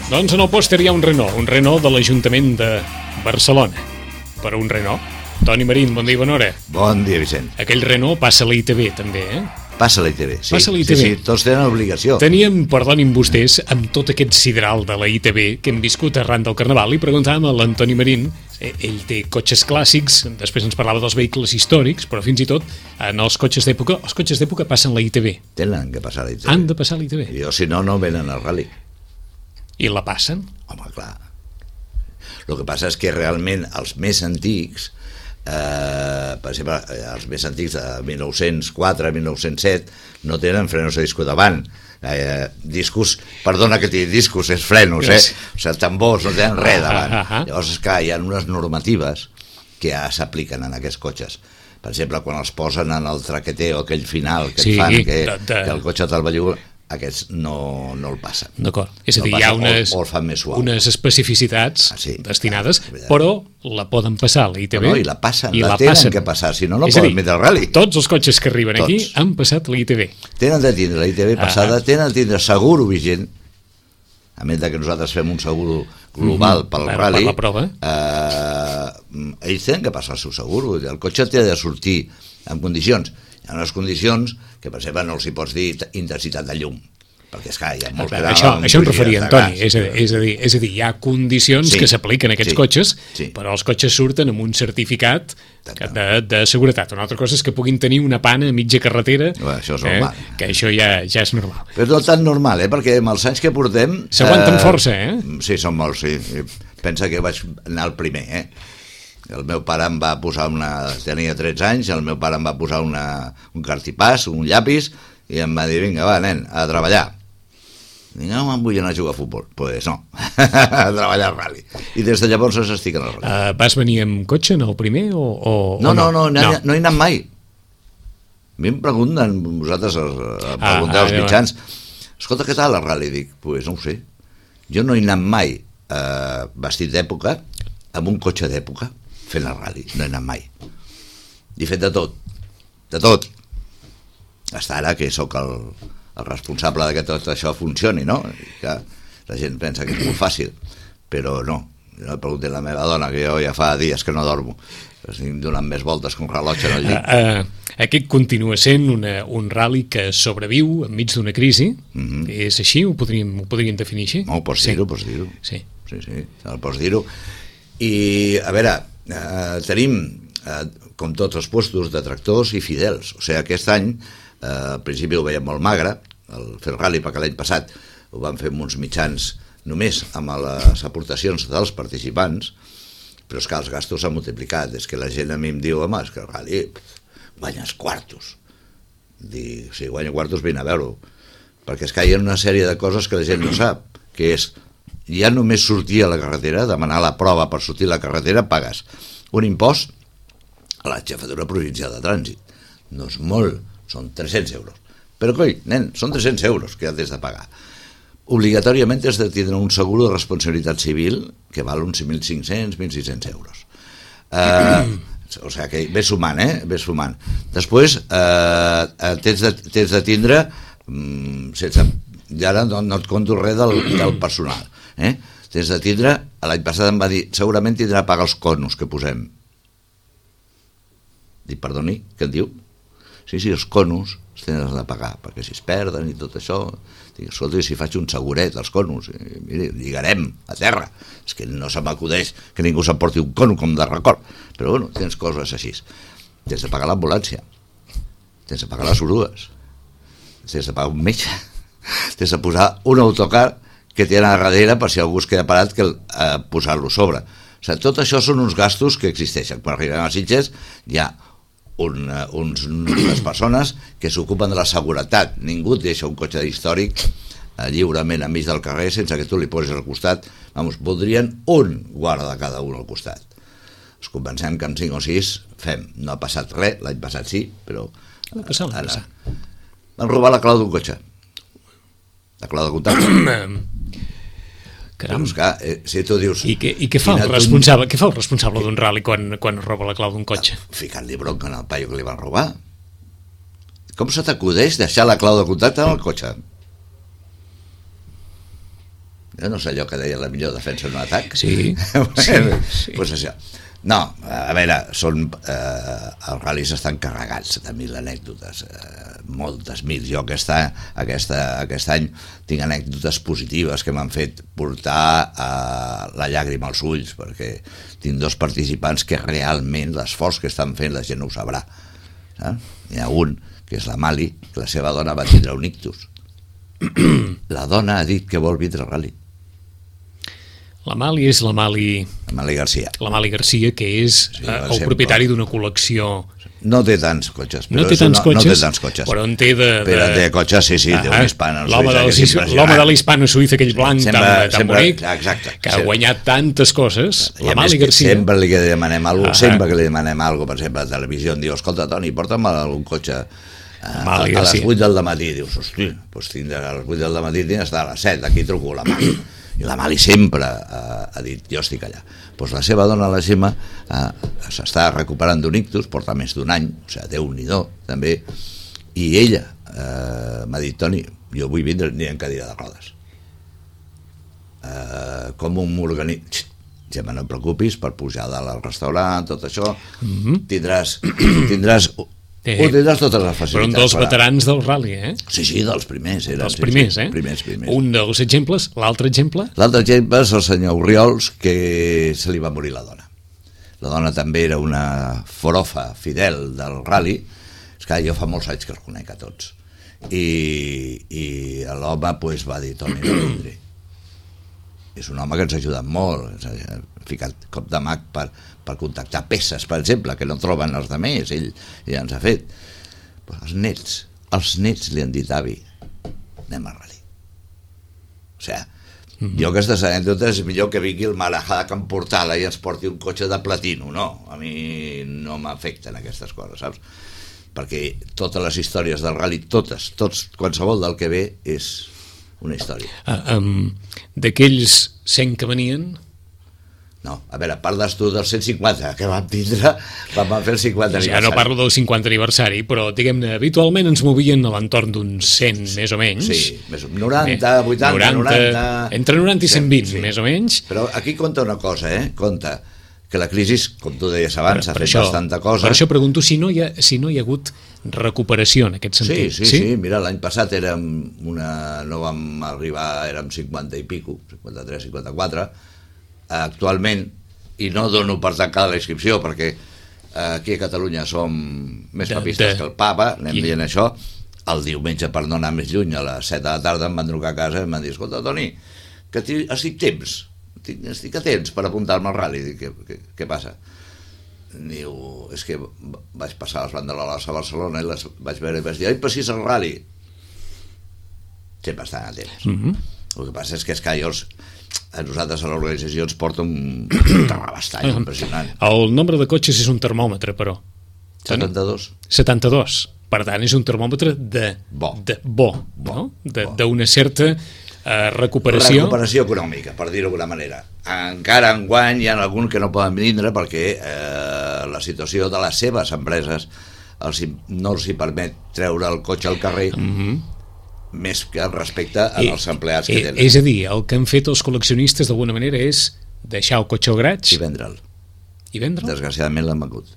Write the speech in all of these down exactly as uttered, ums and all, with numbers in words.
Doncs en el pòster hi ha un Renault, un Renault de l'Ajuntament de Barcelona. Per un Renault. Toni Marín, bon dia i bona hora. Bon dia, Vicent. Aquell Renault passa a la I T V, també, eh? Passa a la I T V, sí. Passa a la I T V. Sí, sí, tots tenen obligació. Teníem, perdonin vostès, amb tot aquest sidral de la I T V que hem viscut arran del Carnaval, i preguntàvem a l'Antoni Marín, eh, ell té cotxes clàssics, després ens parlava dels vehicles històrics, però fins i tot en els cotxes d'època, els cotxes d'època passen la I T V. Tenen que passar a la I T V. Han de passar a la I T V. Jo, si no, no venen al rally. I la passen? Home, clar. El que passa és que realment els més antics, eh, per exemple, els més antics de mil nou-cents quatre, mil nou-cents set, no tenen frenos a disco davant. Eh, discos, perdona que t'hi discos, és frenos, eh? O sigui, tambors, no tenen res davant. Ah, ah, ah. Llavors, és clar, hi ha unes normatives que ja s'apliquen en aquests cotxes. Per exemple, quan els posen en el traqueteo, aquell final que Sí, et fan, que, de, de... que el cotxe te'l belluga, aquests no, no el passen. D'acord. És a dir, No hi ha passa, unes, o, o el fan més suau. unes especificitats Ah, sí. destinades, Ah, però la poden passar a la I T V. No, no, i la passen, i la, la tenen passen. que passar, si no, no És a poden dir, metre el rally. Tots els cotxes que arriben Tots. aquí han passat la I T V. Tenen de tindre la I T V passada, Ah. tenen de tindre seguro vigent, a més de que nosaltres fem un seguro global Mhm. pel Per- rally, per la prova. eh, ells tenen que passar el seu seguro, el cotxe té de sortir en condicions. Hi ha unes condicions que, per exemple, no els hi pots dir intensitat de llum, perquè és que hi ha molts Clar, que això, amb això em bogeries referia, de Antoni, gas. és a, dir, és, a dir, és a dir, hi ha condicions Sí, que s'apliquen a aquests sí, cotxes, sí. però els cotxes surten amb un certificat Exacte. de, de seguretat. Una altra cosa és que puguin tenir una pana a mitja carretera, Bé, això és eh, normal. que això ja, ja és normal. Però no tan normal, eh? Perquè amb els anys que portem... S'aguanten força, eh? Sí, són molts, sí. Pensa que vaig anar al primer, eh? El meu pare em va posar una... Tenia tretze anys, el meu pare em va posar una, un cartipàs, un llapis, i em va dir, vinga, va, nen, a treballar. Dic, no, me'n vull anar a jugar a futbol. Doncs pues no, a treballar al rally. I des de llavors estic en el rally. Uh, vas venir amb cotxe en el primer o, o, No, o no, no, no, no. no, no he anat mai. A mi em pregunten, vosaltres eh, pregunteu Ah, als ah, mitjans, escolta, què tal el rally? Dic, doncs pues no ho sé. Jo no he anat mai eh, vestit d'època, amb un cotxe d'època, fent el rally. No he anat mai. I he fet de tot. De tot. Hasta ara que sóc el, el responsable de que tot això funcioni, no? I que la gent pensa que és molt fàcil, però no. Jo pregunto a la meva dona, que jo ja fa dies que no dormo, estic donant més voltes que un rellotge en el Uh, llit. uh, aquest continua sent una, un rally que sobreviu enmig d'una crisi. Mhm. És així? Ho podríem, ho podríem definir així? No, pots Sí. dir-ho, pots dir-ho. Sí. Sí, sí, el pots dir-ho. I, a veure, eh, tenim, eh, com tots els puestos, detractors i fidels. O sigui, aquest any, eh, al principi ho veiem molt magre, el fer el rally, perquè l'any passat ho vam fer amb uns mitjans només amb les aportacions dels participants, però és que els gastos s'han multiplicat. És que la gent a mi em diu, home, és que el rally guanyes quartos. Dic, si guanya quartos, vine a veure-ho. Perquè és que hi ha una sèrie de coses que la gent no sap, que és, ja només sortir a la carretera, demanar la prova per sortir a la carretera, pagues un impost a la jefatura provincial de trànsit. No és molt, són tres-cents euros. Però, coi, nen, són tres-cents euros que has de pagar. Obligatòriament has de tindre un seguro de responsabilitat civil que val uns mil cinc-cents, mil sis-cents euros. Eh, o sigui que ves sumant, eh? Ves sumant. Després, eh, tens, de, tens de tindre, mm, sense, i ara no, no et conto res del, del personal, eh? Tens de tindre, l'any passat em va dir, segurament tindrà a pagar els conos que posem. Dic, perdoni, què et diu? Sí, sí, els conos els tens de pagar, perquè si es perden i tot això... Dic, escolta, si faig un seguret als conos, i, miri, lligarem a terra. És que no se m'acudeix que ningú s'emporti un cono com de record. Però bueno, tens coses així. Tens de pagar l'ambulància, tens de pagar les orugues, tens de pagar un metge, tens de posar un autocar que té a darrere per si algú es queda parat que eh, posar-lo sobre. O sigui, tot això són uns gastos que existeixen. Quan arribem a Sitges hi ha Un, uns, unes persones que s'ocupen de la seguretat. Ningú et deixa un cotxe històric eh, lliurement enmig del carrer sense que tu li posis al costat. Vamos, voldrien un guarda de cada un al costat. Ens convencem que amb cinc o sis fem. No ha passat res, l'any passat sí, però... Va passar, va passar. Van robar la clau d'un cotxe. La clau de contacte. Caram. Doncs clar, eh, si tu dius... I què, i què fa el responsable, què fa el responsable d'un rally quan, quan roba la clau d'un cotxe? Ficant-li bronca en el paio que li van robar. Com se t'acudeix deixar la clau de contacte en el cotxe? Jo no sé allò que deia la millor defensa en un atac. Sí, sí, sí. Pues això. No, a veure, són, eh, els ral·lis estan carregats de mil anècdotes, eh, moltes mil. Jo aquesta, aquesta, aquest any tinc anècdotes positives que m'han fet portar eh, la llàgrima als ulls, perquè tinc dos participants que realment l'esforç que estan fent la gent no ho sabrà. Saps? N'hi ha un, que és la Mali, que la seva dona va tindre un ictus. La dona ha dit que vol vindre al ral·li. La Mali és la Mali... La Mali Garcia. La Mali Garcia, que és sí, eh, el propietari d'una col·lecció... No té tants cotxes. No té tants, no, cotxes, no té tants cotxes, però en té de... de... Però té cotxes, sí, sí, ah, té un hispano l'home de l'hispano suïssa, aquell blanc sempre, tan, tan sempre, bonic, exacte, que ha sempre. guanyat tantes coses. I la Mali Garcia... Sempre li demanem alguna cosa, ah, sempre que li demanem alguna cosa, per exemple, a la televisió, em diu, escolta, Toni, porta'm algun cotxe a, a, a les vuit del matí. Dius, hosti, doncs tindrà a les vuit del matí tinc d'estar a les set, aquí truco la Mali. I la Mali sempre ha, ha dit, jo estic allà. Doncs la seva dona, la Gemma, eh, s'està recuperant d'un ictus, porta més d'un any, o sigui, Déu-n'hi-do, també, i ella eh, m'ha dit, Toni, jo vull vindre ni en cadira de rodes. Eh, com un organitza... Gemma, no et preocupis, per pujar dalt al restaurant, tot això, mm-hmm. tindràs... tindràs Eh, ho tindràs totes les facilitats. Però un dels veterans del ral·li, eh? Sí, sí, dels primers. Eren, dels primers, sí, sí, eh? Primers, primers. Un dels exemples, l'altre exemple? L'altre exemple és el senyor Oriols, que se li va morir la dona. La dona també era una forofa fidel del ral·li. És que jo fa molts anys que els conec a tots. I, i l'home pues, va dir, Toni, no vindré. És un home que ens ha ajudat molt, ha ficat cop de mag per, per contactar peces, per exemple, que no troben els altres, ell ja ens ha fet. Però els nets, els nets li han dit, avi, anem al ral·li. O sigui, mm-hmm. jo aquestes anècdotes és millor que vingui el Marajá de Camportala i ens porti un cotxe de platino, no, a mi no m'afecten aquestes coses, saps? Perquè totes les històries del ral·li, totes, tots, qualsevol del que ve és una història. Uh, um, D'aquells cent que venien... No, a veure, parles tu dels cent cinquanta que vam tindre, vam fer el cinquanta aniversari. Ja no parlo del cinquanta aniversari, però diguem-ne, habitualment ens movien a l'entorn d'uns cent, més o menys. Sí, més o menys, noranta, vuitanta, noranta... Entre noranta i cent vint, sí, més o menys. Però aquí compta una cosa, eh? Compta que la crisi, com tu deies abans, ha fet això, bastanta cosa. Per això pregunto si no hi ha, si no hi ha hagut recuperació en aquest sentit. Sí, sí, sí, sí. Mira, l'any passat érem una... no vam arribar, érem cinquanta i pico, cinquanta-tres, cinquanta-quatre, actualment, i no dono per tancada la inscripció, perquè aquí a Catalunya som més papistes de, de... que el papa, anem I... dient això, el diumenge, per no anar més lluny, a les set de la tarda em van trucar a casa i em van dir, escolta, Toni, que estic temps, estic a temps per apuntar-me al ral·li. Dic, què, què, què passa? Diu, és que vaig passar les banderoles a Barcelona i les vaig veure i vaig dir, ai, però si és el ral·li. Sempre estan a temps. Mm-hmm. El que passa és que els callos a nosaltres a l'organització ens porta un bastant impressionant. El nombre de cotxes és un termòmetre, però. setanta-dos. setanta-dos. Per tant, és un termòmetre de bo, de bo, bo, no? De, bo. D'una certa uh, recuperació. Recuperació econòmica, per dir-ho d'alguna manera. Encara enguany hi ha algun que no poden vindre perquè eh, la situació de les seves empreses els, no els hi permet treure el cotxe al carrer, mm-hmm. més que respecte als empleats que tenen. És a dir, el que han fet els col·leccionistes d'alguna manera és deixar el cotxe al graig i vendre'l. I vendre'l? Desgraciadament l'han vengut.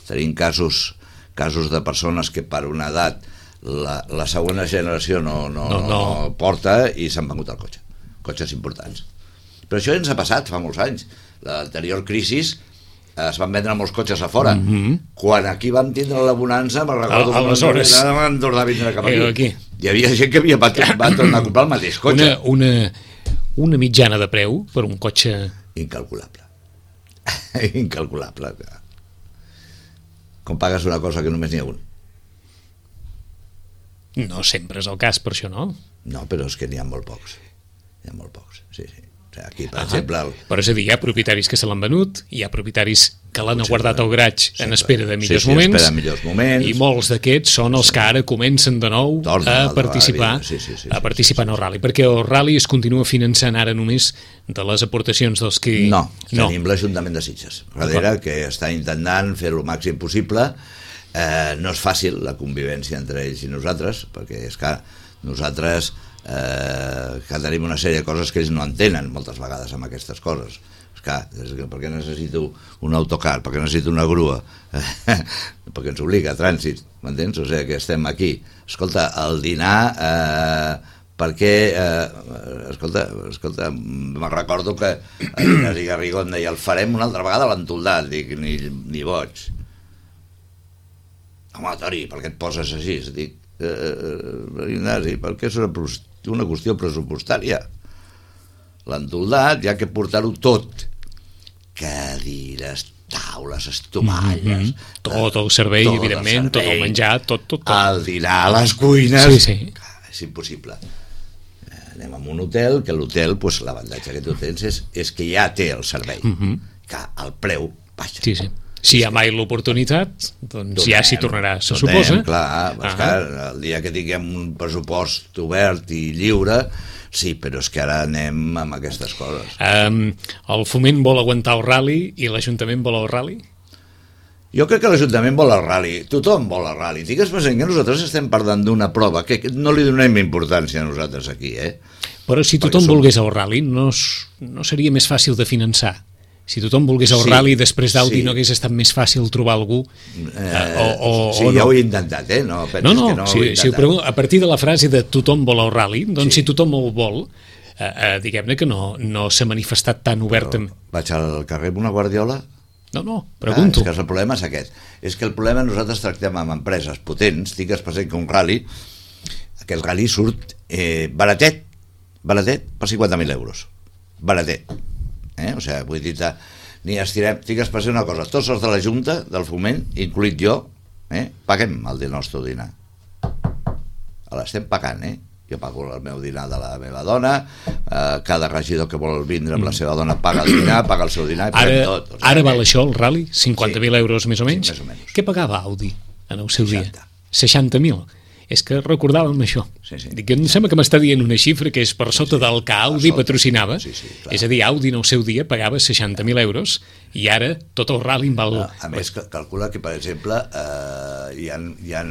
Tenim casos, casos de persones que per una edat la, la segona generació no, no, no, no. no porta i s'han vengut el cotxe. Cotxes importants. Però això ens ha passat fa molts anys. L'anterior crisi es van vendre molts cotxes a fora. Mm-hmm. Quan aquí vam tindre la bonança, me'n recordo que aleshores van tornar a vindre cap aquí. aquí. Hi havia gent que havia, va, va tornar a comprar el mateix cotxe. Una, una, una mitjana de preu per un cotxe... Incalculable. Incalculable. Com pagues una cosa que només n'hi ha un? No sempre és el cas, per això, no? No, però és que n'hi ha molt pocs. N'hi ha molt pocs, sí, sí. Aquí, per ah, exemple... El... Però és a dir, hi ha propietaris que se l'han venut, hi ha propietaris que l'han Potser guardat al graig sempre. En espera de millors, sí, sí, moments, espera millors moments, i molts d'aquests són els que ara comencen de nou Torna a participar, sí, sí, sí, a participar sí, sí, sí, en el ral·li, perquè el ral·li es continua finançant ara només de les aportacions dels que... No, no. Tenim l'Ajuntament de Sitges, darrere, que està intentant fer-ho el màxim possible. Eh, no és fàcil la convivència entre ells i nosaltres, perquè és que nosaltres eh, que tenim una sèrie de coses que ells no entenen moltes vegades amb aquestes coses. Esclar, per què necessito un autocar, per què necessito una grua, perquè ens obliga a trànsit, m'entens? O sigui que estem aquí. Escolta, el dinar, eh, perquè, eh, escolta, escolta, me'n recordo que a Ignasi Garrigó em deia, el farem una altra vegada a l'Entoldat, dic, ni, ni boig. Home, Tori, per què et poses així? Dic, eh, Ignasi, perquè és una, una qüestió pressupostària. L'Entoldat, ja que portar-ho tot, cadires, taules, estomalles, mm-hmm. tot el servei, tot evidentment, el servei, tot el menjar, tot, tot, tot. El dinar a les cuines, sí, sí. És impossible. Anem a un hotel, que l'hotel, pues, l'avantatge que tu tens és, és que ja té el servei, mm-hmm. que el preu baixa. Sí, sí. Si hi ha mai l'oportunitat, doncs donem, ja s'hi tornarà, se donem, suposa. Clar, uh-huh. clar, el dia que tinguem un pressupost obert i lliure, sí, però és que ara anem amb aquestes coses. Um, el Foment vol aguantar el rally i l'Ajuntament vol el rally? Jo crec que l'Ajuntament vol el rally, tothom vol el rally. Digues present que nosaltres estem parlant d'una prova que no li donem importància a nosaltres aquí, eh? Però si tothom som... volgués el rally, no, no seria més fàcil de finançar? Si tothom volgués el sí, rally, després d'Audi sí. no hagués estat més fàcil trobar algú? Eh, o, o, sí, o no? Ja ho he intentat, eh? No, no, no, no si, si ho pregunto, a partir de la frase de tothom vol el rally, doncs sí. si tothom el vol, eh, eh, diguem-ne que no, no s'ha manifestat tan obertament. Vaig al carrer amb una guardiola? No, no, pregunto. Ah, és que el problema és aquest. És que el problema nosaltres tractem amb empreses potents, digues present que un rally, aquest rally surt eh, baratet, baratet per cinquanta mil euros. Baratet. Eh? O sigui, vull dir, ni estirem, digues per ser una cosa, tots els de la Junta del Foment, incluït jo, eh? paguem el nostre dinar. L'estem pagant, eh? Jo pago el meu dinar de la meva dona, eh, cada regidor que vol vindre amb la seva dona paga el dinar, paga el seu dinar, i ara, tot. O sigui, ara val això, el rally? cinquanta mil sí, euros més o menys? Sí, més o menys. Què pagava Audi en el seu seixanta. dia? seixanta mil. És que recordàvem això. Sí, sí. Dic, em sembla que m'està dient una xifra que és per sota sí, sí. del que Audi patrocinava. Sí, sí, és a dir, Audi en el seu dia pagava seixanta mil euros i ara tot el rally en val... A, a més, calcula que, per exemple, eh, hi ha, hi ha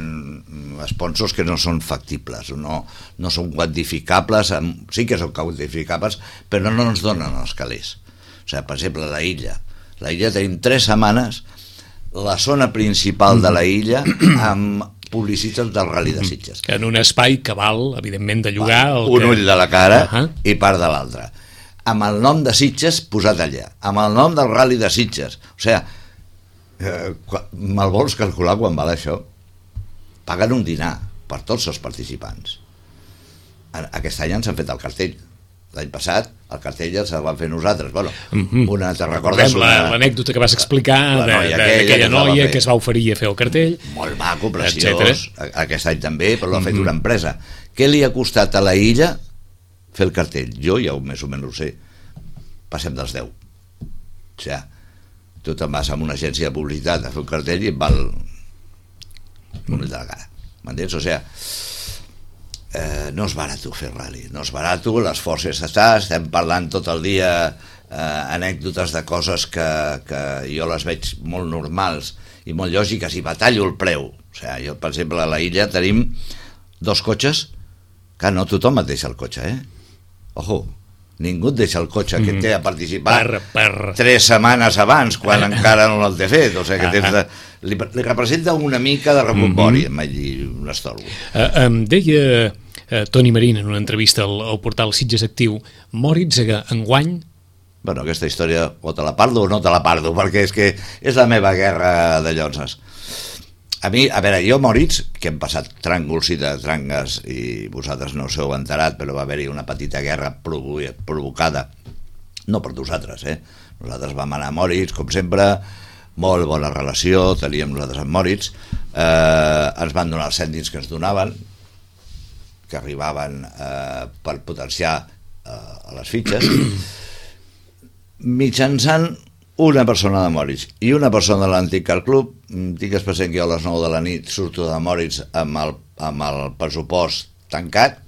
sponsors que no són factibles, no, no són quantificables, sí que són quantificables, però no ens donen els calés. O sigui, per exemple, la illa. La illa tenim tres setmanes, la zona principal de la illa, amb publicitats del Rally de Sitges. Que en un espai que val, evidentment, de llogar... Un que... ull de la cara uh-huh. i part de l'altre. Amb el nom de Sitges posat allà, amb el nom del Rally de Sitges. O sigui, eh, me'l vols calcular quan val això? Paguen un dinar per tots els participants. Aquest any ens han fet el cartell. L'any passat, el cartell ja se'l van fer nosaltres. Bueno, mm-hmm. una, te recordes una... l'anècdota que vas explicar d'aquella noia que es va oferir a fer el cartell. Molt maco, preciós. Aquest any també, però l'ha fet mm-hmm. una empresa. Què li ha costat a la illa fer el cartell? Jo ja més o menys ho sé. Passem dels deu. O sigui, tu te'n vas a una agència de publicitat a fer un cartell i et val un ull de la cara. M'entens? O sigui, Eh, no és barat fer rally, no és barat, l'esforç està, estem parlant tot el dia eh, anècdotes de coses que, que jo les veig molt normals i molt lògiques i batallo el preu. O sigui, jo, per exemple, a la illa tenim dos cotxes que no tothom et deixa el cotxe, eh? Ojo, ningú et deixa el cotxe que té a participar per, per... tres setmanes abans, quan encara no el té fet. O sigui, que tens de... li, li representa una mica de rebombori, mm-hmm. em vaig dir un estolgo. Uh, em deia... Uh, Toni Marín en una entrevista al, al portal Sitges Actiu, Moritz enguany... Bueno, aquesta història o te la parlo o no te la parlo, perquè és que és la meva guerra de lloses. A mi, a veure, jo Moritz, que hem passat tràngols i de trangues i vosaltres no us heu enterat, però va haver-hi una petita guerra provo- provocada, no per nosaltres, eh? Nosaltres vam anar a Moritz, com sempre, molt bona relació, teníem nosaltres amb Moritz, eh, ens van donar els cèntims que ens donaven, que arribaven eh, per potenciar eh, a les fitxes, mitjançant una persona de Moritz i una persona de l'Antic Car Club. Digues present que jo a les nou de la nit surto de Moritz amb el, amb el pressupost tancat.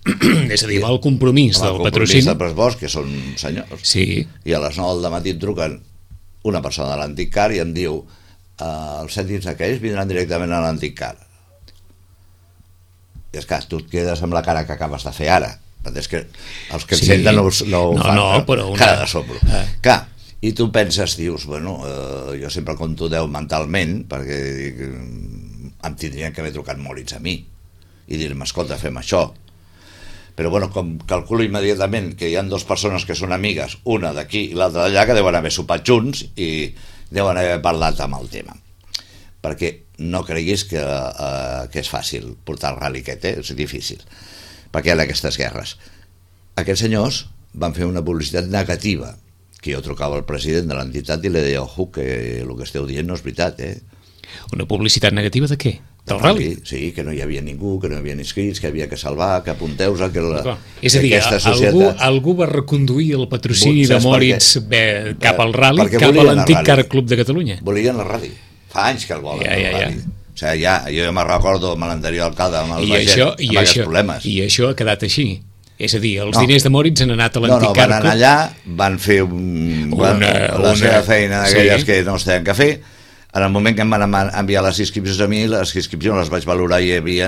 És a dir, el compromís del patrocini. El compromís del pressupost, que són senyors. Sí. I a les nou del matí em truquen una persona de l'Antic Car i em diu eh, els cèntims aquells vindran directament a l'Antic Car. I és que tu et quedes amb la cara que acabes de fer ara, és que els que Sí. ens senten no, no ho No, fan, no, però una- cara de soplo. Ah. Clar, i tu penses, dius, bueno, eh, jo sempre compto deu mentalment, perquè dic, em tindrien que haver trucat Moritz a mi i dir-me, escolta, fem això. Però bueno, com calculo immediatament que hi ha dues persones que són amigues, una d'aquí i l'altra d'allà, que deuen haver sopat junts i deuen haver parlat amb el tema. Perquè no creguis que, eh, que és fàcil portar el rally aquest, eh? És difícil, perquè hi ha aquestes guerres. Aquests senyors van fer una publicitat negativa, que jo trucava al president de l'entitat i li deia, ojo, que el que esteu dient no és veritat, eh? Una publicitat negativa de què? Del rally? Sí, que no hi havia ningú, que no hi havia inscrits, que havia que salvar, que apunteu-vos a que la, Clar. És a dir, aquesta algú, societat... algú va reconduir el patrocini Saps de per Moritz què? bé, cap al rally, Perquè cap a volien el l'antic rally. Car Club de Catalunya. Volien la ràdio. Fa anys que el volen, Ja, ja, el ja. ràdio. O sigui, ja, jo ja me'n recordo amb l'anterior alcalde, amb el I Baget, això, amb i, aquests això, problemes. I això ha quedat així. És a dir, els No. diners de Moritz han anat a No, l'antic no, Car van Club. anar allà, van fer un, Una- una, la una- seva feina d'aquelles sí. que no es tenen que fer. En el moment que em van ama- enviar les inscripcions a mi, les inscripcions les vaig valorar i hi havia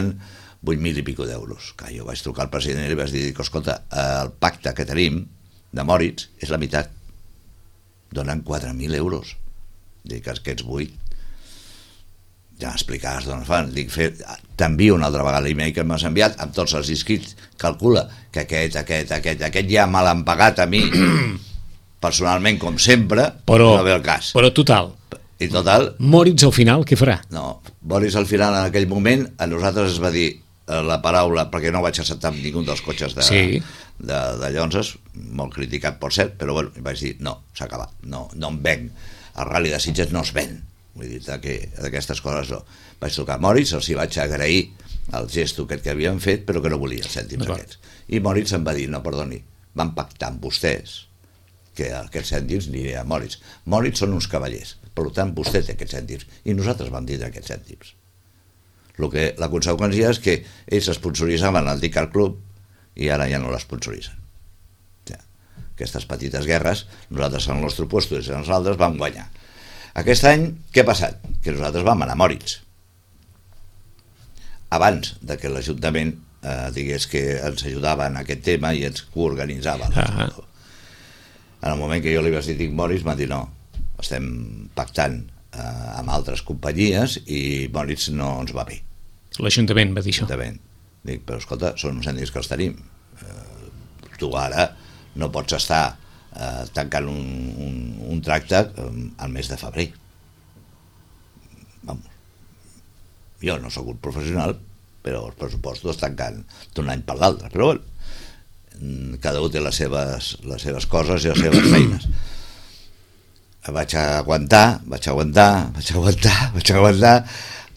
vuit mil i pico d'euros. Que jo vaig trucar al president i li vaig dir, dic, escolta, el pacte que tenim de Moritz és la meitat. Donen quatre mil euros. Dic, aquests vuit ja m'explicaràs d'on es fan. Dic, fer, t'envio una altra vegada l'email que m'has enviat amb tots els inscrits. Calcula que aquest, aquest, aquest, aquest ja me l'han pagat a mi personalment, com sempre, Però, no ve el cas. però total, I total, Moritz al final què farà? no, Boris al final en aquell moment a nosaltres es va dir eh, la paraula, perquè no vaig acceptar amb ningú dels cotxes de, Sí. de, de Llonses, molt criticat per cert, però bueno, vaig dir no, s'ha acabat, no, no em venc, el Rally de Sitges no es ven, vull dir que d'aquestes coses no. Vaig trucar a Moritz, els hi vaig agrair el gesto aquest que havien fet, però que no volia els cèntims D'acord. aquests, i Moritz em va dir, no, perdoni, van pactar amb vostès que aquests cèntims aniré a Moritz. Moritz són uns cavallers, per tant vostè té aquests cèntims i nosaltres vam tindre aquests cèntims. Lo que, la conseqüència és que ells esponsoritzaven l'antic Car Club i ara ja no l'esponsoritzen. Ja. Aquestes petites guerres, nosaltres en el nostre puesto i els altres vam guanyar. Aquest any, què ha passat? Que nosaltres vam anar a Moritz. Abans de que l'Ajuntament eh, digués que ens ajudava en aquest tema i ens coorganitzava. Ah. En el moment que jo li vaig dir dic Moritz, m'ha dit no, estem pactant eh, amb altres companyies i Moritz no ens va bé. L'Ajuntament va dir això. Exactament. Dic, però escolta, són uns cèntims que els tenim. Eh, tu ara no pots estar eh, tancant un, un, un tracte eh, al mes de febrer. Vamos. Jo no sóc un professional, però els pressupostos es tanquen d'un any per l'altre. Però bueno, cada un té les seves, les seves coses i les seves feines. Vaig aguantar, vaig aguantar, vaig aguantar, vaig aguantar,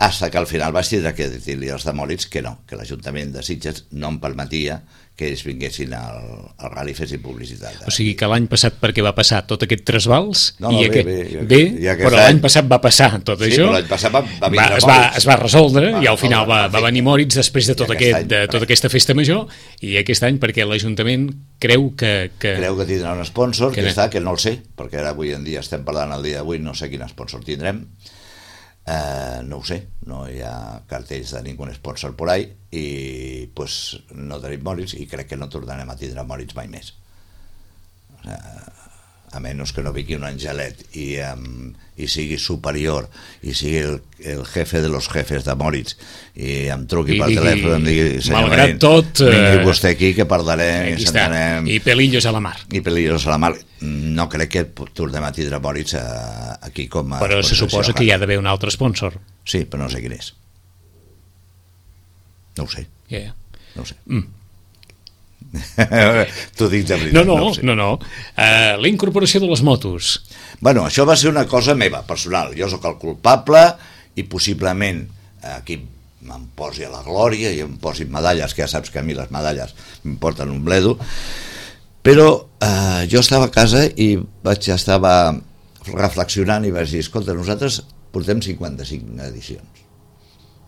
fins que al final vaig tindre que dir-li als de Moritz que no, que l'Ajuntament de Sitges no em permetia que ells vinguessin al, al rally i fessin publicitat. O sigui que l'any passat perquè va passar tot aquest trasbals No, no, i bé, aquest, bé, jo- bé, i aquest però any- l'any passat va passar tot Sí, això, però l'any passat va, va vindre es, va, Moritz. es va resoldre Va i al final va, resoldre, va venir Moritz després de, I tot aquest aquest, any, de tota aquesta festa major i aquest any perquè l'Ajuntament creu que... que... Creu que tindrà un sponsor, Que que, no. està, que no el sé, perquè ara avui en dia estem parlant el dia d'avui, no sé quin sponsor tindrem. Eh, no ho sé, no hi ha cartells de ningú sponsor por ahí i pues, no tenim Moritz i crec que no tornarem a tindre Moritz mai més. Eh, a menys que no vingui un angelet i, um, i sigui superior i sigui el, el jefe de los jefes de Moritz i em truqui I per digui, telèfon i em digui, senyor malgrat Marín, tot, eh, vingui vostè aquí que parlarem i Aquí està, sentarem i pelillos a la mar. i pelillos a la mar. No crec que tornem a tindre Moritz a, aquí com a... Però se suposa que hi ha d'haver un altre sponsor. Sí, però no sé quin és. No ho sé, Yeah. no ho sé. Mm. T'ho dic de veritat. No, no, ho sé. no, no. Uh, la incorporació de les motos. Bueno, això va ser una cosa meva, personal. Jo sóc el culpable i possiblement aquí me'n posi a la glòria i em posin medalles, que ja saps que a mi les medalles m'importen un bledo, però eh, jo estava a casa i vaig estava reflexionant i vaig dir, escolta, nosaltres portem cinquanta-cinc edicions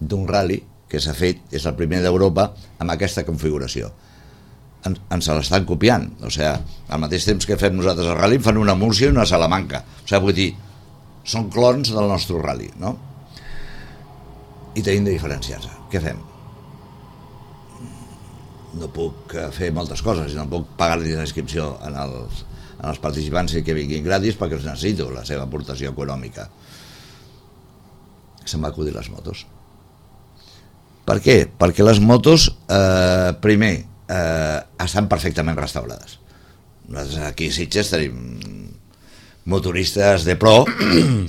d'un rally que s'ha fet, és el primer d'Europa amb aquesta configuració. En, ens l'estan copiant, o sigui, al mateix temps que fem nosaltres el rally fan una Múrcia i una Salamanca, o sigui, vull dir, són clons del nostre rally, no? I tenim de diferenciar-se. Què fem? no puc fer moltes coses, no puc pagar-li la inscripció en els, en els participants que vinguin gratis perquè els necessito la seva aportació econòmica. Se'm va acudir les motos. Per què? Perquè les motos, eh, primer, eh, estan perfectament restaurades. Nosaltres aquí a Sitges tenim motoristes de pro,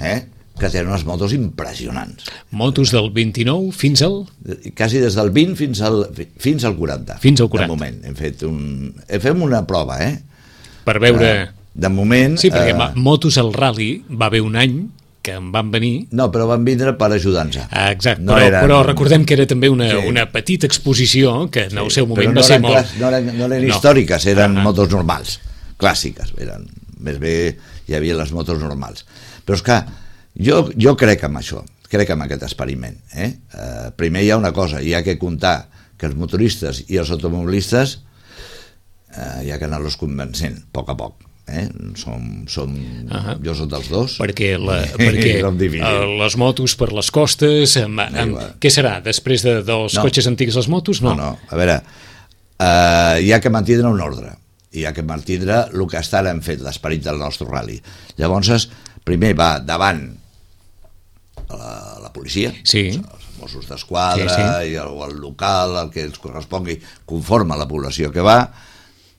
eh, que tenen unes motos impressionants. Motos del vint-i-nou fins al... Quasi des del vint fins al, fins al quaranta. Fins al quaranta. De moment. Hem fet, un, hem fet una prova, eh? Per veure... Uh, de moment... Sí, perquè uh, motos al rally va haver un any que en van venir... No, però van vindre per ajudar-nos. Ah, exacte, no però, eren... però recordem que era també una, sí. una petita exposició que en el sí, seu moment no va ser eren molt... Clas... No eren, no eren no. històriques, eren ah, motos normals, clàssiques. Eren, més bé hi havia les motos normals. Però és que jo, jo crec en això, crec en aquest experiment. Eh? Uh, primer hi ha una cosa, hi ha que comptar que els motoristes i els automobilistes uh, hi ha que anar-los convencent, a poc a poc. Eh? Som, som, uh-huh. Jo soc dels dos, perquè, la, perquè uh, les motos per les costes amb, amb, què serà? Després de, dels no. cotxes antics les motos? No, no, no. A veure, uh, hi ha que mantindre un ordre, hi ha que mantindre el que està hem fet, l'esperit del nostre rally. Llavors, primer va davant la, la policia, sí. els Mossos d'Esquadra, sí, sí. i el, el local, el que ens correspongui conforme a la població que va.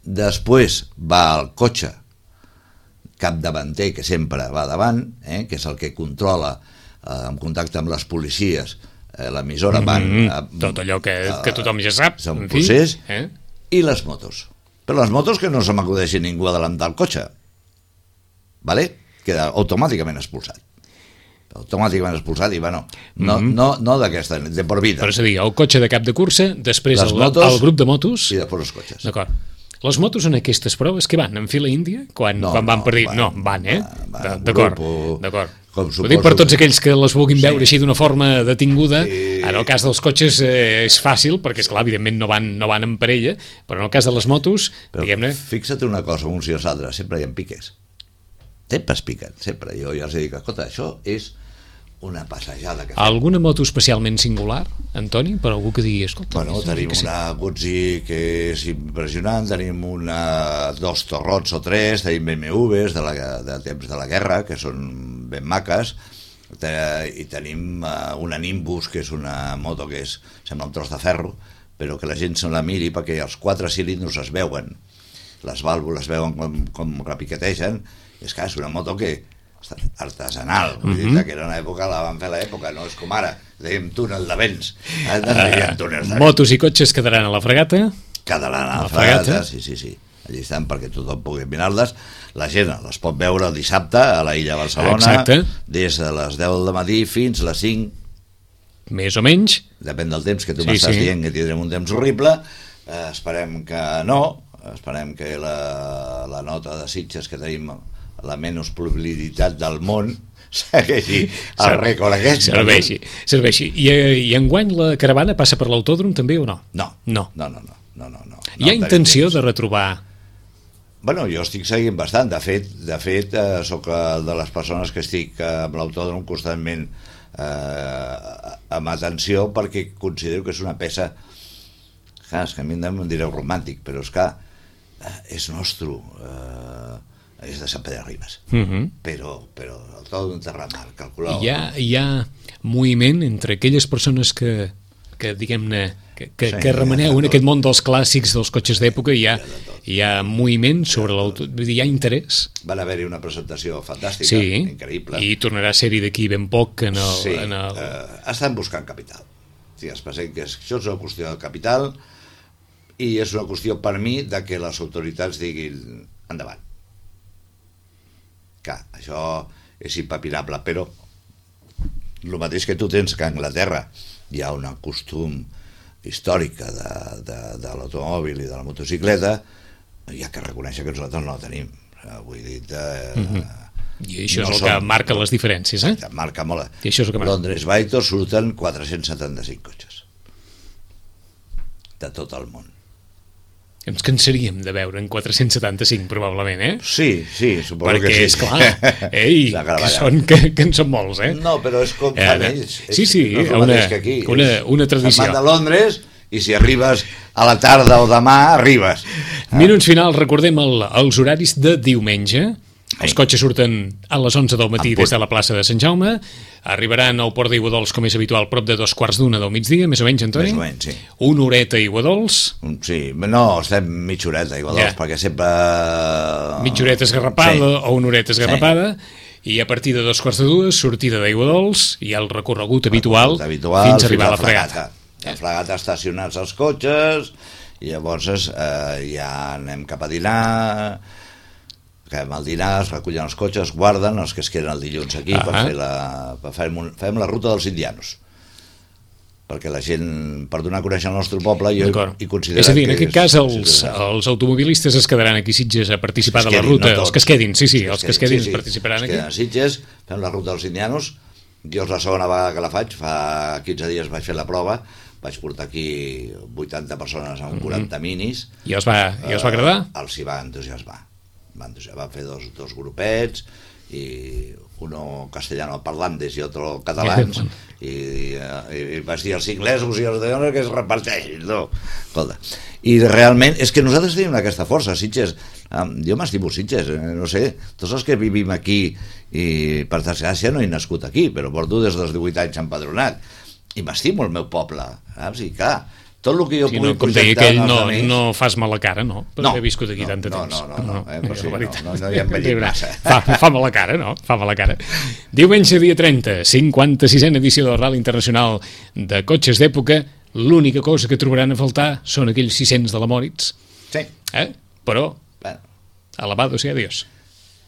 Després va el cotxe capdavanter, que sempre va davant, eh, que és el que controla eh, en contacte amb les policies eh, l'emissora van... Mm-hmm. a, tot allò que, a, que tothom ja sap. És un procés. Eh? I les motos. Però les motos que no se m'acudeixi ningú a adelantar el cotxe. Vale? Queda automàticament expulsat. Automàticament expulsat i, bueno, no, mm-hmm. no, no d'aquesta, de por vida. Però és a dir, el cotxe de cap de cursa, després el, motos, el grup de motos... I després els cotxes. D'acord. Les motos en aquestes proves que van? En fila índia? Quan, no, quan van no, per dir... Van, no, van, eh? Van, d'acord, d'acord. Ho dic per tots aquells que les vulguin veure sí. així d'una forma detinguda. Sí. En el cas dels cotxes eh, és fàcil, perquè, esclar, evidentment no van, no van en parella, però en el cas de les motos, però diguem-ne... Fixa't una cosa, uns i els altres, sempre hi ha piques. Sempre es piquen, sempre. Jo ja els dic, escolta, això és una passejada. Que Alguna moto especialment singular, Antoni, per algú que digui, escolta... Bueno, tenim una Guzzi que és impressionant, tenim una, dos Torrots o tres, tenim B M Ws de, la, de temps de la guerra, que són ben maques, i tenim una Nimbus, que és una moto que és, sembla un tros de ferro, però que la gent se la miri perquè els quatre cilindros es veuen, les vàlvules veuen com, com repiquetegen, i és que és una moto que artesanal, vull dir, que era una època, la van fer a l'època, no és com ara, dèiem túnel de vents, eh, uh, motos i cotxes quedaran a la fregata? Quedaran a la, la fregata, fregata, sí, sí, sí, allà estan perquè tothom pugui mirar-les, la gent les pot veure el dissabte a la Illa Barcelona, exacte. Des de les deu del matí fins les cinc, més o menys, depèn del temps que tu sí, m'estàs sí. dient que tindrem un temps horrible, eh, esperem que no, esperem que la, la nota de Sitges que tenim la menys probabilitat del món segueixi el rècord aquest. Serveixi, serveixi. I, I enguany la caravana passa per l'autòdrom també o no? No, no, no, no, no, no, no, no. Hi ha no, intenció de retrobar? Bueno, jo estic seguint bastant, de fet, de fet eh, sóc de les persones que estic eh, amb l'autòdrom constantment eh, amb atenció perquè considero que és una peça, clar, és que a mi em direu romàntic, però és que eh, és nostre, eh, és de Sant Pere Ribes, uh-huh. però, però tot un terramar, calculau. Hi ha, hi ha moviment entre aquelles persones que, que diguem-ne, que, que, sí, que remeneu en aquest món dels clàssics, dels cotxes d'època, hi ha, hi ha moviment sobre l'auto, hi ha interès. Van haver-hi una presentació fantàstica, sí, increïble. I tornarà a ser-hi d'aquí ben poc en el... Sí, en el... eh, estan buscant capital. Sí, es pensa que això és una qüestió de capital i és una qüestió per mi de que les autoritats diguin endavant. Que això és impapinable, però el mateix que tu tens que a Anglaterra hi ha un costum històrica de, de, de l'automòbil i de la motocicleta, hi ha que reconèixer que nosaltres no la tenim. Vull dir, eh, mm-hmm. I això no és el som, que marca les diferències, eh? Exacte, marca molt. I això és el que marca. Londres Vaitor surten quatre-cents setanta-cinc cotxes de tot el món. Ens cansaríem de veure en quatre-cents setanta-cinc, probablement, eh? Sí, sí, suposo perquè, que sí. Perquè, esclar, ei, que, són, que, que en són molts, eh? No, però és com fan ells. Sí, sí, no una, que aquí. una, una tradició. Se'n van de Londres i si arribes a la tarda o demà, arribes. Minuts finals, recordem el, els horaris de diumenge. Els cotxes surten a les onze del matí des de la plaça de Sant Jaume, arribaran al Port d'Aiguadols, com és habitual, prop de dos quarts d'una del migdia, més o menys, Antoni? Més o menys, sí. Una horeta a Aiguadols. Sí, no, estem mitja horeta a Aiguadols, ja. Perquè sempre... Mitja horeta esgarrapada sí. O una horeta esgarrapada, sí. I a partir de dos quarts de dues, sortida d'Aiguadols i el recorregut habitual, habitual fins a arribar a la fregata. La fregata estacionats els cotxes, i llavors eh, ja anem cap a dinar... Acabem el dinar, es recullen els cotxes, guarden els que es queden el dilluns aquí, uh -huh. per fer la, per fer, fem la ruta dels indianos, perquè la gent, per donar a conèixer el nostre poble, jo hi considero... És a dir, en aquest cas els, els automobilistes es quedaran aquí a Sitges a participar de la ruta, no els que es quedin, sí, sí, els que es quedin sí, sí, participaran aquí. Els que queden a Sitges, fem la ruta dels indianos, jo és la segona vegada que la faig, fa quinze dies vaig fer la prova, vaig portar aquí vuitanta persones amb quaranta minis. I els va, i els va agradar? Uh, els hi va entusiasmar. Van, van fer dos, dos grupets i uno castellano parlantes i otro catalans i, i, i vaig dir els inglesos i els de que es reparteixin no? Escolta, i realment és que nosaltres tenim aquesta força, Sitges jo m'estimo Sitges, no sé tots els que vivim aquí i per desgràcia no he nascut aquí però porto des dels divuit anys empadronat i m'estimo el meu poble, saps? I clar tot el que jo sí, pugui no, projectar ell, no, no fas mala cara, no? Per no, haver viscut aquí no, tant de no, temps. No, no, no, no, eh, no, sí, no, no, no hi hem vellit massa. Fa, fa mala cara, no? Fa mala cara. Diumenge, dia trenta, cinquanta-sisena edició del Rally Internacional de Cotxes d'Època. L'única cosa que trobaran a faltar són aquells sis-cents de la Moritz. Sí. Eh? Però, bueno. alabado sea Dios.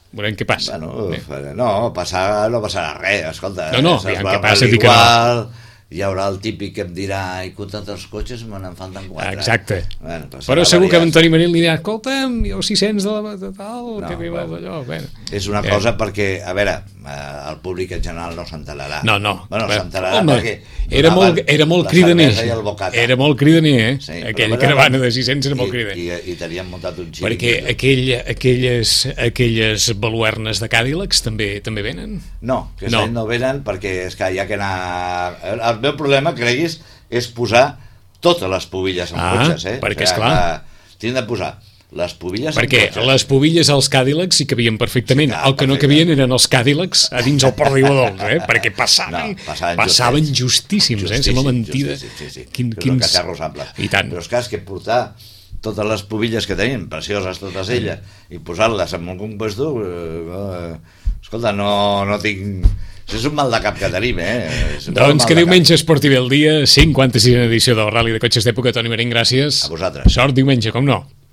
Veurem què passa. Bueno, eh. no, passar, no passarà res, escolta. No, no, aviam què passa, dic que no. Hi haurà el típic que em dirà i comptant els cotxes me n'en falten quatre. Exacte. Bueno, però segur que Antoni Marín li dirà escolta'm, jo sis-cents de la de tal, no, que arriba bueno, d'allò. Bueno. És una cosa eh. perquè, a veure, el públic en general no s'entelarà. No, no. Bueno, s'entelarà home, perquè era molt, era molt cridaner. Era molt cridaner, eh? Sí, aquella caravana de sis-cents era molt cridaner. I, i, i tenien muntat un xic. Perquè aquell, aquelles, aquelles baluernes de Cadillacs també també venen? No, que no. no venen perquè és que hi ha que anar... El meu problema, creguis, és posar totes les pubilles en ah, cotxes, eh? Perquè, esclar... Tinc de posar les pubilles perquè en cotxes. Perquè les pubilles als Cadillacs sí cabien perfectament. Sí, clar, el que perfecte. No cabien eren els Cadillacs a dins el Port d'Aiguadols, eh? Perquè passaven, no, passaven, passaven justíssims, justíssim, eh? Sembla mentida. Justíssim, sí, sí. Quin, quins... catarros amples. I tant. Però és clar, és que portar totes les pubilles que tenim, precioses totes elles, i posar-les en un compuesto, eh, escolta, no, no tinc... És un mal de cap que tenim, eh? Doncs que diumenge es porti bé el dia, cinquanta-sisena edició del Rally de Cotxes d'Època. Toni Marín, gràcies. A vosaltres. Sort diumenge, com no.